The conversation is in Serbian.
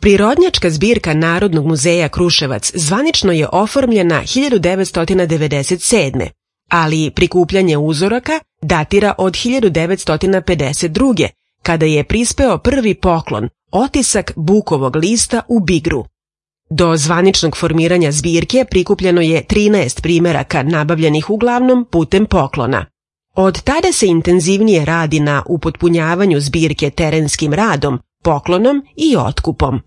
Prirodnjačka zbirka Narodnog muzeja Kruševac zvanično je oformljena 1997. ali prikupljanje uzoraka datira od 1952. kada je prispeo prvi poklon, otisak bukovog lista u Bigru. Do zvaničnog formiranja zbirke prikupljeno je 13 primeraka nabavljenih uglavnom putem poklona. Od tada se intenzivnije radi na upotpunjavanju zbirke terenskim radom, poklonom i otkupom.